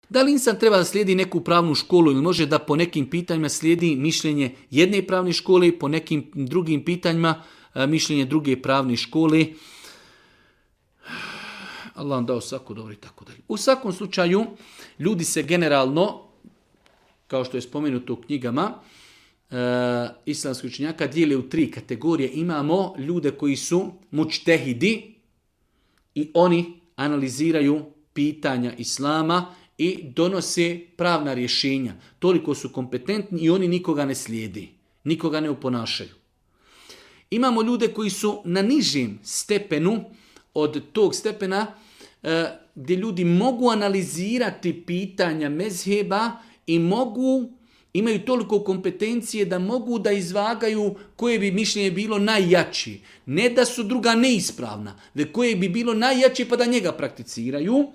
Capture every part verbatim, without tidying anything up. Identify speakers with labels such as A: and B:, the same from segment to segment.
A: Da li insan treba da slijedi neku pravnu školu ili može da po nekim pitanjima slijedi mišljenje jedne pravne škole, po nekim drugim pitanjima mišljenje druge pravne škole? Allah vam dao svako dobro i tako dalje. U svakom slučaju, ljudi se generalno, kao što je spomenuto u knjigama, e, islamskih učenjaka dijele u tri kategorije. Imamo ljude koji su mučtehidi i oni analiziraju pitanja islama i donose pravna rješenja. Toliko su kompetentni i oni nikoga ne slijedi, nikoga ne oponašaju. Imamo ljude koji su na nižem stepenu od tog stepena e, gdje ljudi mogu analizirati pitanja mezheba i mogu, imaju toliko kompetencije da mogu da izvagaju koje bi mišljenje bilo najjači. Ne da su druga neispravna, već koje bi bilo najjače pa da njega prakticiraju.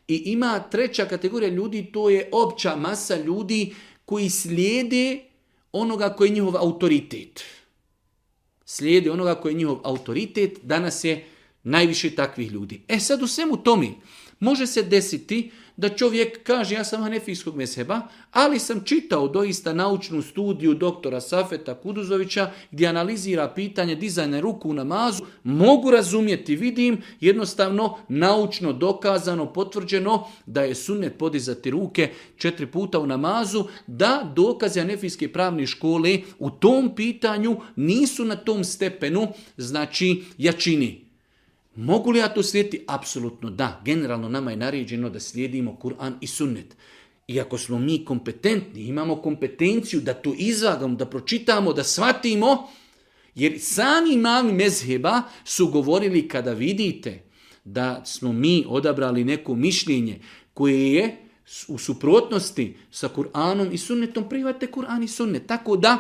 A: I ima treća kategorija ljudi, to je opća masa ljudi koji slijede onoga koji je njihov autoritet. Slijede onoga koji je njihov autoritet, danas je najviše takvih ljudi. E sad u svemu tome može se desiti da čovjek kaže ja sam hanefijskog mezheba, ali sam čitao doista naučnu studiju doktora Safeta Kuduzovića gdje analizira pitanje dizanja ruku u namazu, mogu razumjeti, vidim, jednostavno naučno dokazano, potvrđeno da je sunnet podizati ruke četiri puta u namazu, da dokaze hanefijske pravne škole u tom pitanju nisu na tom stepenu, znači jačini. Mogu li ja to slijediti? Apsolutno da. Generalno nama je naređeno da slijedimo Kur'an i sunnet. Iako smo mi kompetentni, imamo kompetenciju da to izvagamo, da pročitamo, da shvatimo, jer sami imami mezheba su govorili kada vidite da smo mi odabrali neko mišljenje koje je u suprotnosti sa Kur'anom i sunnetom, prihvatite Kur'an i sunnet. Tako da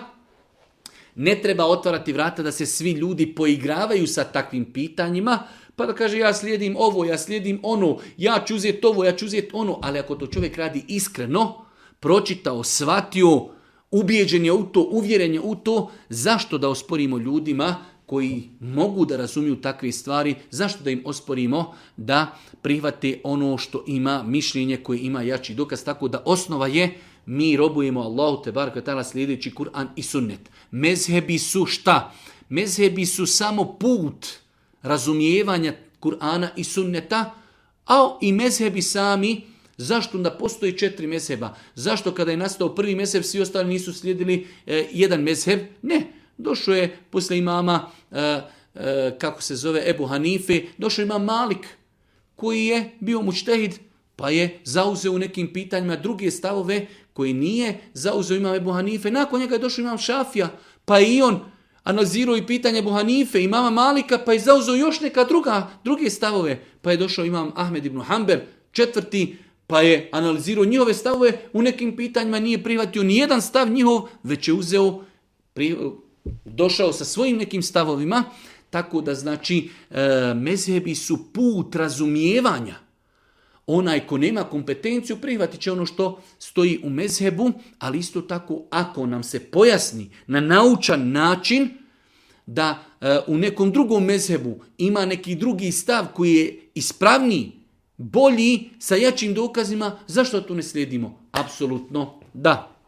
A: ne treba otvarati vrata da se svi ljudi poigravaju sa takvim pitanjima, pa da kaže ja slijedim ovo, ja slijedim ono, ja ću uzeti ovo, ja ću uzeti ono, ali ako to čovjek radi iskreno, pročitao, shvatio, ubijeđen je u to, uvjeren je u to, zašto da osporimo ljudima koji mogu da razumiju takve stvari, zašto da im osporimo da prihvate ono što ima mišljenje koje ima jači dokaz, tako da osnova je mi robujemo Allahu te baraka ta'ala slijedeći Kur'an i sunnet. Mezhebi su šta? Mezhebi su samo put razumijevanja Kur'ana i sunneta, a i mezhebi sami, zašto da postoji četiri mezheba? Zašto kada je nastao prvi mezheb svi ostali nisu slijedili e, jedan mezheb? Ne, došao je posle imama, e, e, kako se zove, Ebu Hanife, došao imam Malik, koji je bio mučtehid, pa je zauzeo u nekim pitanjima druge stavove koji nije zauzeo imam Ebu Hanife. Nakon njega je došao imam Šafija, pa i on analizirao i pitanje Ebu Hanife, imama Malika, pa je zauzeo još neka druga, druge stavove. Pa je došao imam Ahmed ibn Hanbel, četvrti, pa je analizirao njihove stavove, u nekim pitanjima nije prihvatio ni jedan stav njihov, već je uzeo, pri, došao sa svojim nekim stavovima, tako da znači e, mezhebi su put razumijevanja. Onaj ko nema kompetenciju prihvatit će ono što stoji u mezhebu, ali isto tako ako nam se pojasni na naučan način da e, u nekom drugom mezhebu ima neki drugi stav koji je ispravniji, bolji, sa jačim dokazima, zašto to ne slijedimo? Apsolutno da.